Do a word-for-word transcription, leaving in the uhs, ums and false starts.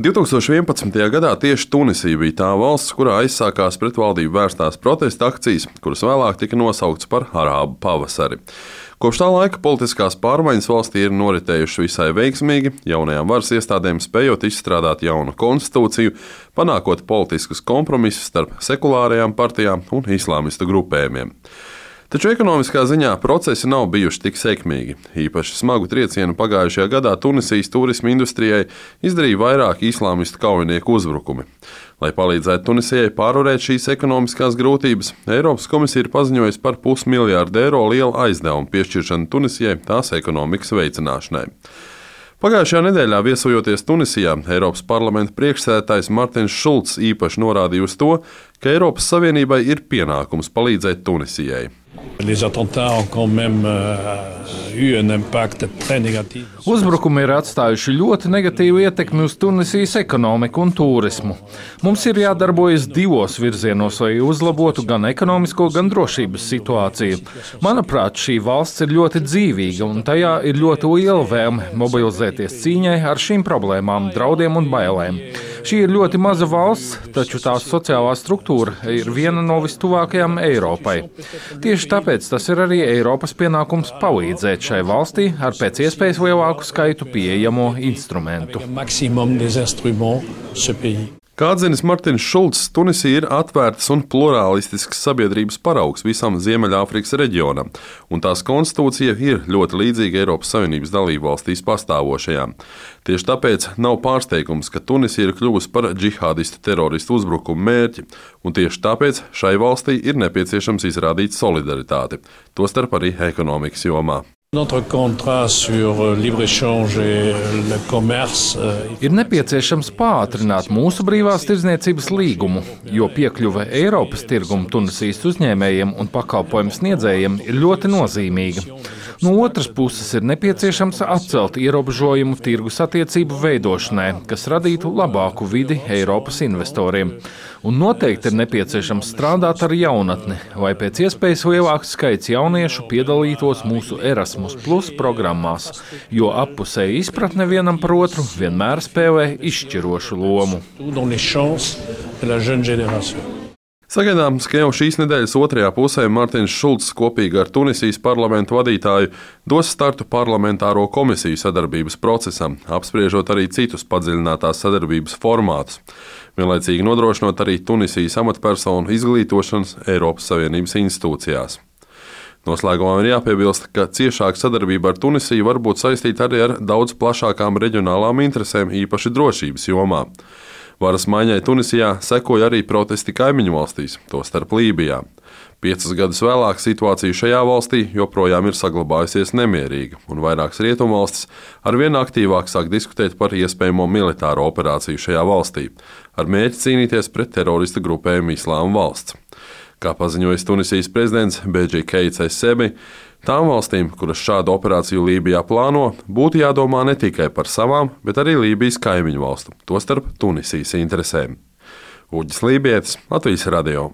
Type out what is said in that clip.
divi tūkstoši vienpadsmitajā gadā tieši Tunisija bija tā valsts, kurā aizsākās pret valdību vērstās protesta akcijas, kuras vēlāk tika nosauktas par Arābu pavasari. Kopš tā laika politiskās pārmaiņas valstī ir noritējušas visai veiksmīgi, jaunajām varas iestādēm spējot izstrādāt jaunu konstitūciju, panākot politiskus kompromisus starp sekulārajām partijām un islāmistu grupējumiem. Taču ekonomiskā ziņā procesi nav bijuši tik sekmīgi. Īpaši smagu triecienu pagājušajā gadā Tunisijas turisma industrijai izdarīja vairāki islāmistu kaujinieku uzbrukumi. Lai palīdzētu Tunisijai pārvarēt šīs ekonomiskās grūtības, Eiropas komisija ir paziņojusi par pusmiljārdu eiro lielu aizdevumu piešķiršanu Tunisijai tās ekonomikas veicināšanai. Pagājušajā nedēļā viesojoties Tunisijā, Eiropas parlamenta priekšsēdētājs Martins Šulcs īpaši norādīja uz to, ka Eiropas Savienībai ir pienākums palīdzēt Tunisijai. Uzbrukumi ir atstājuši ļoti negatīvu ietekmi uz Tunisijas ekonomiku un turismu. Mums ir jādarbojas divos virzienos, lai uzlabotu gan ekonomisko, gan drošības situāciju. Manuprāt, šī valsts ir ļoti dzīvīga un tajā ir ļoti liela vēlme mobilizēties cīņai ar šīm problēmām, draudiem un bailēm. Šī ir ļoti maza valsts, taču tās sociālā struktūra ir viena no vistuvākajām Eiropai. Tieši tāpēc tas ir arī Eiropas pienākums palīdzēt šai valstī ar pēc iespējas lielāku skaitu pieejamo instrumentu. Kā atzinis Martins Šulcs, Tunisija ir atvērtas un plurālistisks sabiedrības paraugs visam Ziemeļāfrikas reģionam, un tās konstitūcija ir ļoti līdzīga Eiropas Savienības dalībvalstīs pastāvošajām. Tieši tāpēc nav pārsteigums, ka Tunisija ir kļuvusi par džihādistu teroristu uzbrukumu mērķi, un tieši tāpēc šai valstī ir nepieciešams izrādīt solidaritāti, tostarp arī ekonomikas jomā. Ir nepieciešams pātrināt mūsu brīvās tirdzniecības līgumu, jo piekļuve Eiropas tirgumu Tunisijas uzņēmējiem un pakalpojumu sniedzējiem ir ļoti nozīmīga. No otras puses ir nepieciešams atcelt ierobežojumu tirgus attiecību veidošanai, kas radītu labāku vidi Eiropas investoriem. Un noteikti ir nepieciešams strādāt ar jaunatni, lai pēc iespējas lielāks skaits jauniešu piedalītos mūsu Erasmus Plus programmās, jo appusēja izpratne vienam par otru vienmēr spēlē izšķirošu lomu. Sagaidāms, ka jau šīs nedēļas otrajā pusē Martins Šulcs kopīgi ar Tunisijas parlamentu vadītāju dos startu parlamentāro komisiju sadarbības procesam, apspriežot arī citus padziļinātās sadarbības formātus, vienlaicīgi nodrošinot arī Tunisijas amatpersonu izglītošanas Eiropas Savienības institūcijās. Noslēgumā ir jāpiebilst, ka ciešāka sadarbība ar Tunisiju var būt saistīta arī ar daudz plašākām reģionālām interesēm, īpaši drošības jomā. Varas maiņai Tunisijā sekoja arī protesti kaimiņu valstīs, tostarp Lībijā. Piecus gadus vēlāk situācija šajā valstī joprojām ir saglabājusies nemierīga, un vairākas rietumvalstis arvien aktīvāk sāk diskutēt par iespējamo militāro operāciju šajā valstī, ar mērķi cīnīties pret teroristu grupējumu Islāma valsts. Kā paziņojis Tunisijas prezidents Bedži Keits Es-Sebi, tām valstīm, kuras šādu operāciju Lībijā plāno, būtu jādomā ne tikai par savām, bet arī Lībijas kaimiņu valstu, tostarp Tunisijas interesēm. Uģis Lībietis, Latvijas radio.